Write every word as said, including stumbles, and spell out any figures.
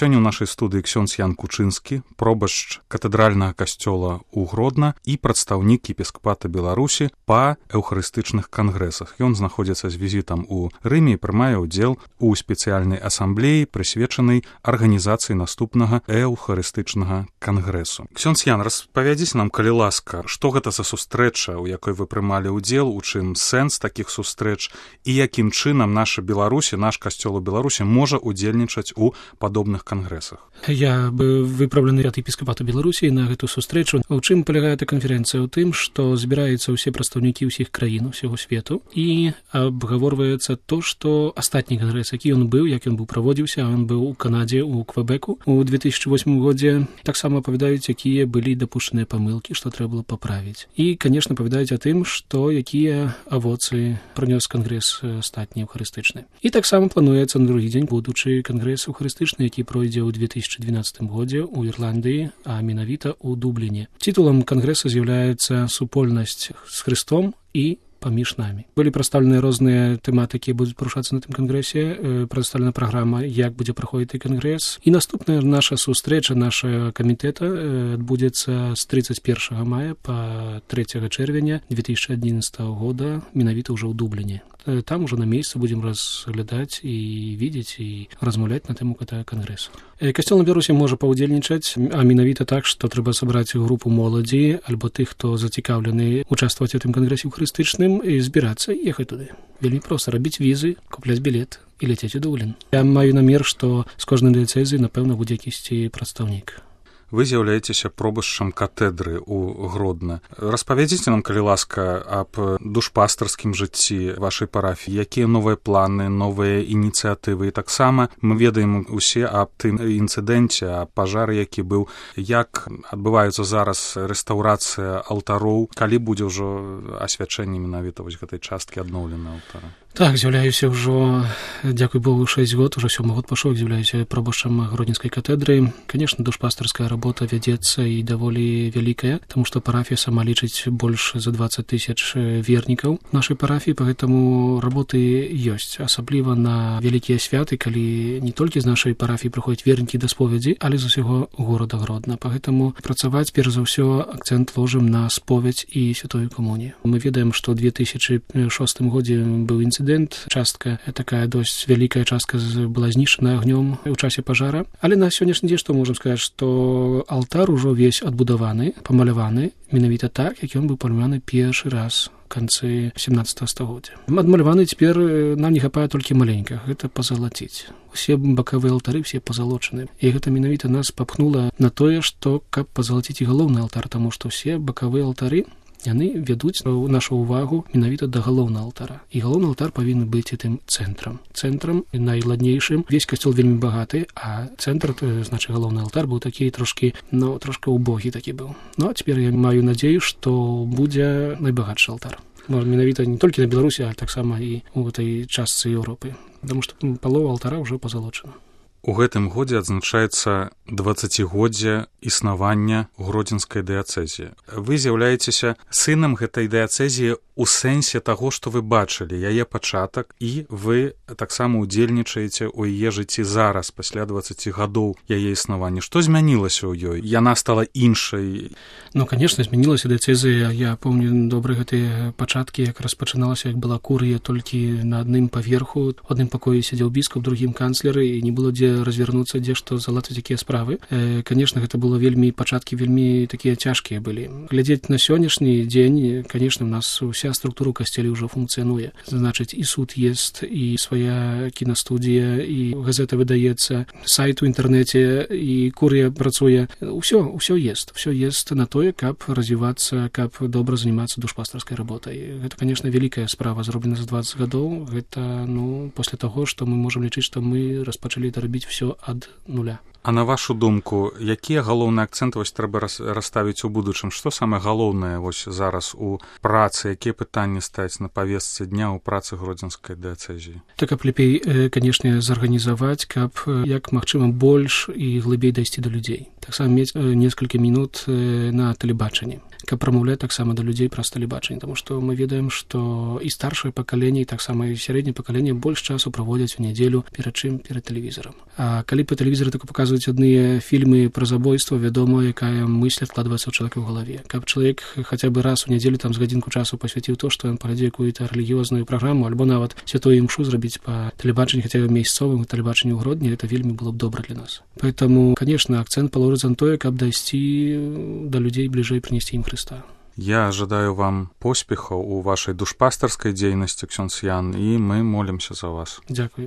сёння ў нашай студыі ксёндз Ян Кучынскі, пробашч катэдральнага касцёла ў Гродна і прадстаўнік епіскапата Беларусі па эўхарыстычных кангрэсах. Ён знаходзіцца з візітам у Рыме і прымае ўдзел у спецыяльнай асамблеі, прысвечанай арганізацыі наступнага эўхарыстычнага кангрэсу. Ксёндз Ян, распавядзіце нам, калі ласка, што гэта за сустрэча, у якой вы прымалі ўдзел, у чым сэнс такіх сустрэч і якім чынам наша Беларусі, наш касцёл у Беларусі можа удзельнічаць у падобных кангрэсах. Я бы выпраўлены ад епіскапата Беларусі на гэту сустрэчу. У чым палягае эта канферэнцыя? У тым, што збіраюцца ўсе прадстаўнікі ўсіх краін усяго свету і абгаворваецца то, што астатні кангрэс, які ён быў, як ён быў праводзіўся, ён быў у Канадзе, у Квэбеку у две тысячы восьмым годзе, таксама апавядаюць, якія былі дапушчаныя памылкі, што трэба было паправіць. І, канешне, апавядаюць о тым, што якія авоцы прынёс кангрэс астатні эўхарыстычны. І таксама плануецца на другі дзень будучы кангрэс эўхарыстычны, які пройдзе ў две тысячы двенаццатым годзе ў Ірландыі, а менавіта ў Дубліне. Титулам кангрэса з'яўляецца супольнасць з Хрыстом і паміж намі. Былі прадстаўленыя розныя тэматыкі, будуць парушацца на тым кангрэсе, прадстаўлена праграма, як будзе праходзіць кангрэс. І наступная наша сустрэча, наша камітэта адбудзецца з тридцать первого мая па трэцяга чэрвеня две тысячи одиннадцатого года, менавіта ўжо ў Дубліне. Там уже на месяц будем разглядаць і видеть і размаўляць на тэму гэтага кангрэсу. Касцёл на Беларусі можа паўдзельнічаць, а менавіта так, што трэба сабраць групу моладзі альбо тых, хто зацікаўлены участваваць у тым кангрэсе эўхарыстычным і збірацца і ехаць туды. Вельмі проста рабіць візы, купляць білет і ляцець у Дублін. Я маю намер, што з кожнай дыяцэзіі, напэўна, будзе якісьці прадстаўнік. Вы з'яўляецеся пробашчам катедры ў Гродна. Распавядзіце нам, калі ласка, аб душпастарскім жыцці вашай парафіі. Якія новыя планы, новыя ініцыятывы? І таксама мы ведаем усе аб тым інцыдэнце, аб пажары, які быў. Як адбываецца зараз рэстаўрацыя алтароў? Калі будзе ўжо асвячэнне менавіта вось гэтай часткі адноўленай алтара? Так, з'яўляюся ўжо, дзякуй Богу, шэсць год, ужо сёмы год пашоў, з'яўляюся пробашчам Гродненскай катедры. Конечно, душпастарская работа вядзецца і даволі вялікая, таму што парафія сама лічыць больш за двадцать тысяч вернікаў нашай парафіі, поэтому работы ёсць, асабліва на вялікія святы, калі не толькі з нашай парафіі прыходзяць вернікі да споведзі, але з усяго горада Гродна. Поэтому працаваць, перш за ўсё, акцэнт ложым на споведь і святую камунію. Мы ведаем, што ў две тысячи шостым годзе быў інцыдэнт, частка, такая досць вялікая частка была знішчана агнём у часе пажара. Але на сённяшні дзень што можам сказаць, што алтар ужо весь адбудаваны, памаляваны, менавіта так, як ён быў памаляваны першы раз в канцы семнадцатого стагоддзя. Адмаляваны цяпер нам не хапае толькі маленька, гэта пазалаціць. Усе бакавыя алтары, все пазалочаны. І гэта менавіта нас папхнула на тое, што каб пазалаціць і галоўны алтар, таму што ўсе бакавыя алтары яны вядуць нашу ўвагу менавіта да галоўнага алтара. І галоўны алтар павінен быць тым цэнтрам. Цэнтрам найладнейшым. Весь касцёл вельмі багаты, а цэнтр, значыць, галоўны алтар быў такі трошкі, ну, трошка убогі такі быў. Ну, а цяпер я маю надзею, што будзе найбагатшы алтар. Менавіта не толькі на Беларусі, а таксама і ў гэтай частцы Еўропы. Таму што палова алтара ўжо пазалочана. У гэтым годзе адзначаецца дваццацігоддзе існавання Гродзенскай дыяцэзіі. Вы з'яўляецеся сынам гэтай дыяцэзіі у сэнсе таго, што вы бачылі яе пачатак, і вы таксама удзельнічаеце ў яе жыцці зараз, пасля дваццаці гадоў яе існавання. Што змянілася ў ёй? Яна стала іншай? Ну, конечно, змянілася дыяцэзія. Я помню добра гэтыя пачаткі, як распачыналася, як была курыя толькі на адным паверху. У адным пакоі сядзеў біскуп, другім канцлеры, і не было дзе развярнуцца, дзе што залатаць якія справы. Э, конечно, гэта было вельмі, пачаткі вельмі такія цяжкія былі. Глядзець на сённяшні дзень, конечно, у нас уся структура касцелі ўжо функцыянуе. Значыць, і суд есть, і свая кінастудія, і газета выдаецца, сайт у інтэрнэце, і курыя працуе. Усё, усё есть. Усё есть на тое, каб развівацца, каб добра занимацца душпастарскай работай. Гэта, конечно, вялікая справа, зроблена за двадцать гадоў. Гэта, ну, пасля таго, што мы можам лічыць, што мы распачалі это рабіць все ад нуля. А на вашу думку, якія галоўныя акцэнты вось трэба расставіць у будучым? Што самае галоўнае вось зараз у працы? Якія пытанні стаяць на павестцы дня ў працы Гродзенскай дыяцэзіі? Так, каб лепей, канешне, зарганізаваць, каб як магчыма больш і глыбей дайсці да людзей. таксама мець некалькі мінут на тэлебачанні, каб прамаўляць таксама да людзей праз тэлебачанне, таму што мы ведаем, што і старшае пакаленне, і таксама і сярэдняе пакаленне больш часу праводзяць у нядзелю перад чым перад тэлевізарам. А калі па тэлевізары так паказваюць адныя фільмы пра забойства, вядома, якая мысль адкладваецца ў чалавека ў галаве. Каб чалавек хаця бы раз у нядзелю там з гадзінку часу пасвяціў то, што ён паглядзе якую-то рэлігіёзную праграму, альбо нават святую імшу зрабіць па тэлебачанні, хаця бы месяцовым тэлебачанні ў Гродні, это вельмі было б добра для нас. Поэтому, конечно, акцент паложыць на тое, каб дайсці да людзей бліжэй, прынесці ім Хрыста. Я жадаю вам поспехаў у вашай душпастарскай дзейнасці, ксёндз Ян, і мы молімся за вас. Дзякуй.